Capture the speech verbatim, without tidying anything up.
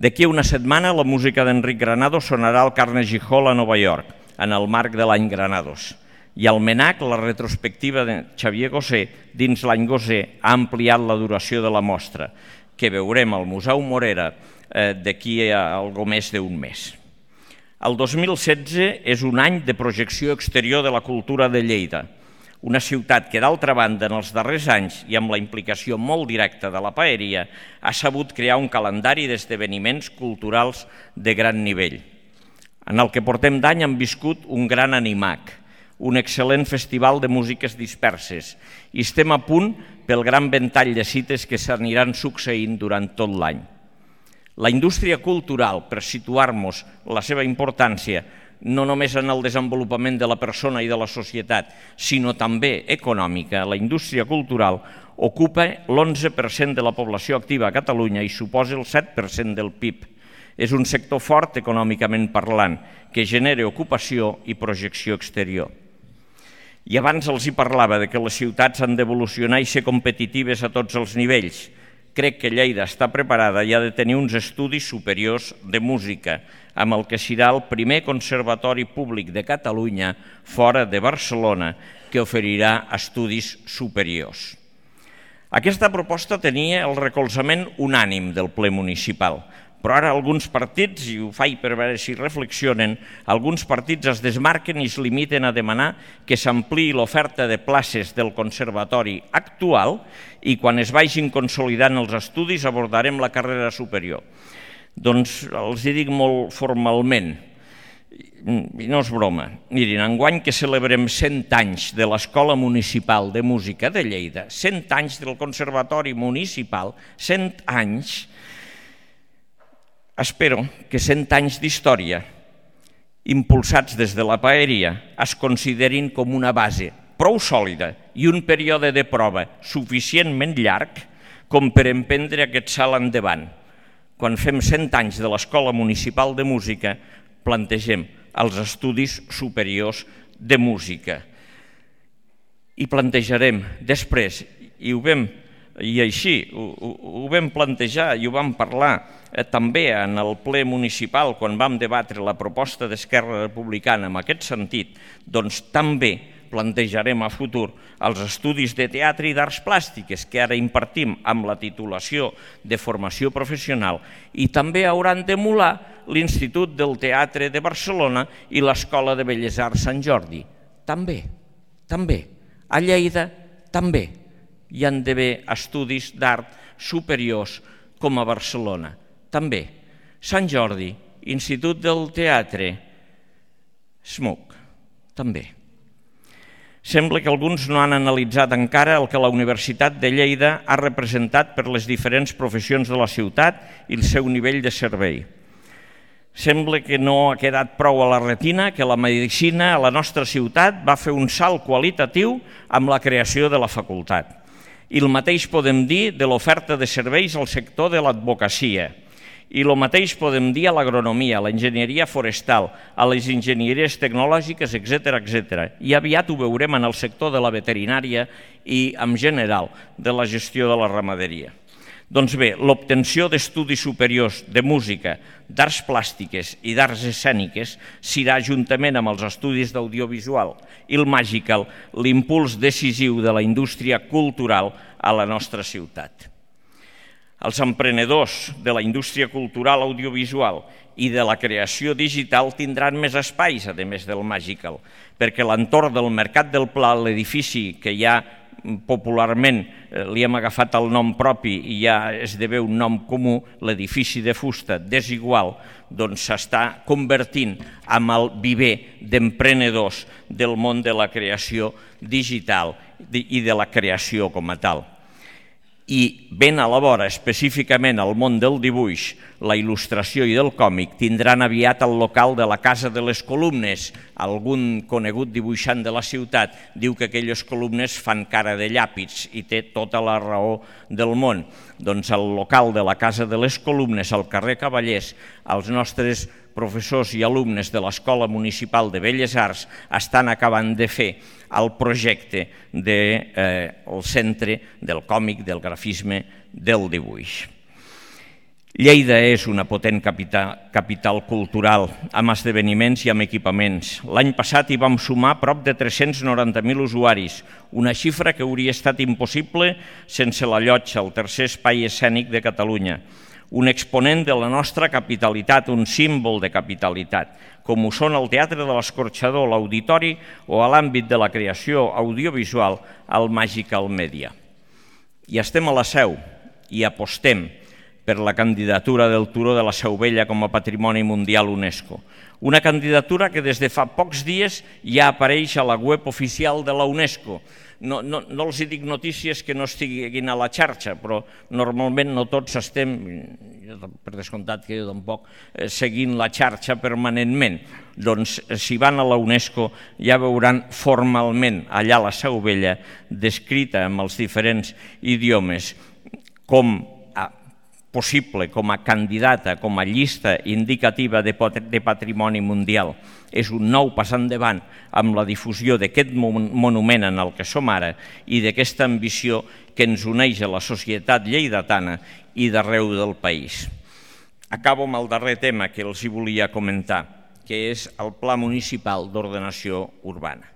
D'aquí a una setmana la música d'Enric Granados sonarà al Carnegie Hall a Nova York, en el marc de l'any Granados. I al MENAC, la retrospectiva de Xavier Gosé dins l'any Gosé ha ampliat la duració de la mostra, que veurem al Museu Morera d'aquí a algo més d'un mes. El dos mil setze és un any de projecció exterior de la cultura de Lleida, una ciutat que, d'altra banda, en els darrers anys i amb la implicació molt directa de la paeria, ha sabut crear un calendari d'esdeveniments culturals de gran nivell. En el que portem d'any hem viscut un gran animac, un excel·lent festival de músiques disperses, i estem a punt pel gran ventall de cites que s'aniran succeint durant tot l'any. La indústria cultural, per situar-nos la seva importància, no només en el desenvolupament de la persona i de la societat, sinó també econòmica, la indústria cultural ocupa l'onze per cent de la població activa a Catalunya i suposa el set per cent del P I B. És un sector fort econòmicament parlant, que genera ocupació i projecció exterior. I abans els hi parlava de que les ciutats han d'evolucionar i ser competitives a tots els nivells. Crec que Lleida està preparada i ha de tenir uns estudis superiors de música, amb el que serà el primer conservatori públic de Catalunya fora de Barcelona que oferirà estudis superiors. Aquesta proposta tenia el recolzament unànim del ple municipal, però ara alguns partits, i ho faig per veure si reflexionen, alguns partits es desmarquen i es limiten a demanar que s'ampliï l'oferta de places del conservatori actual i quan es vagin consolidant els estudis abordarem la carrera superior. Doncs els hi dic molt formalment, i no és broma, mirin, enguany que celebrem cent anys de l'Escola Municipal de Música de Lleida, cent anys del Conservatori Municipal, cent anys, espero que cent anys d'història, impulsats des de la paeria, es considerin com una base prou sòlida i un període de prova suficientment llarg com per emprendre aquest salt endavant. Quan fem cent anys de l'Escola Municipal de Música, plantegem els estudis superiors de música. I plantejarem després, i ho vam I així ho, ho, ho vam plantejar i ho vam parlar eh, també en el ple municipal quan vam debatre la proposta d'Esquerra Republicana en aquest sentit, doncs també plantejarem a futur els estudis de teatre i d'arts plàstiques que ara impartim amb la titulació de formació professional i també hauran d'emular l'Institut del Teatre de Barcelona i l'Escola de Belles Arts Sant Jordi. També, també. A Lleida, també. Hi han d'haver estudis d'art superiors com a Barcelona. També. Sant Jordi, Institut del Teatre, S M U C, també. Sembla que alguns no han analitzat encara el que la Universitat de Lleida ha representat per les diferents professions de la ciutat i el seu nivell de servei. Sembla que no ha quedat prou a la retina que la medicina a la nostra ciutat va fer un salt qualitatiu amb la creació de la facultat. I el mateix podem dir de l'oferta de serveis al sector de l'advocacia. I el mateix podem dir a l'agronomia, a l'enginyeria forestal, a les enginyeries tecnològiques, etcètera, etcètera. I aviat ho veurem en el sector de la veterinària i, en general, de la gestió de la ramaderia. Doncs bé, l'obtenció d'estudis superiors de música, d'arts plàstiques i d'arts escèniques serà, juntament amb els estudis d'audiovisual i el Magical, l'impuls decisiu de la indústria cultural a la nostra ciutat. Els emprenedors de la indústria cultural audiovisual i de la creació digital tindran més espais, a més del Magical, perquè l'entorn del Mercat del Pla, l'edifici que hi ha popularment li hem agafat el nom propi i ja esdevé un nom comú, l'edifici de fusta desigual, doncs s'està convertint en el viver d'emprenedors del món de la creació digital i de la creació com a tal. I ben a la vora, específicament al món del dibuix, la il·lustració i del còmic, tindran aviat el local de la Casa de les Columnes. Algun conegut dibuixant de la ciutat diu que aquelles columnes fan cara de llàpids i té tota la raó del món. Doncs el local de la Casa de les Columnes, al carrer Cavallers, els nostres professors i alumnes de l'Escola Municipal de Belles Arts estan acabant de fer el projecte del centre del còmic, del grafisme, del dibuix. Lleida és una potent capital, capital cultural, amb esdeveniments i amb equipaments. L'any passat hi vam sumar prop de tres-cents noranta mil usuaris, una xifra que hauria estat impossible sense la Llotja, el tercer espai escènic de Catalunya. Un exponent de la nostra capitalitat, un símbol de capitalitat, com ho són el Teatre de l'Escorxador, l'Auditori o a l'àmbit de la creació audiovisual, el Magical Media. I estem a la Seu i apostem per la candidatura del Turó de la Seu Vella com a Patrimoni Mundial UNESCO. Una candidatura que des de fa pocs dies ja apareix a la web oficial de la UNESCO. No, no, no els dic notícies que no estiguin a la xarxa, però normalment no tots estem, per descomptat que jo tampoc, seguint la xarxa permanentment. Doncs si van a la UNESCO ja veuran formalment allà a la Seu Vella, descrita amb els diferents idiomes, com possible, com a candidata, com a llista indicativa de patrimoni mundial. És un nou pas endavant amb la difusió d'aquest monument en el que som ara i d'aquesta ambició que ens uneix a la societat lleidatana i d'arreu del país. Acabo amb el darrer tema que els hi volia comentar, que és el Pla Municipal d'Ordenació Urbana.